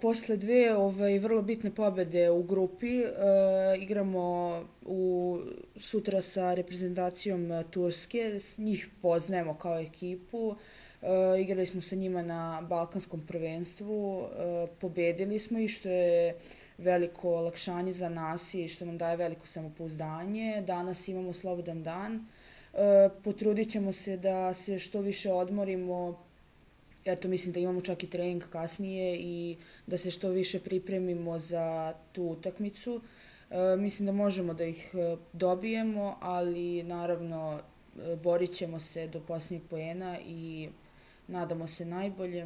Posle dve vrlo bitne pobede u grupi, igramo sutra sa reprezentacijom Turske, njih poznajemo kao ekipu, igrali smo sa njima na Balkanskom prvenstvu, pobedili smo ih što je veliko olakšanje za nas i što nam daje veliko samopouzdanje. Danas imamo slobodan dan, potrudit ćemo se da se što više odmorimo. Eto, mislim da imamo čak i trening kasnije i da se što više pripremimo za tu utakmicu. Mislim da možemo da ih dobijemo, ali naravno borit ćemo se do posljednjeg poena i nadamo se najboljem.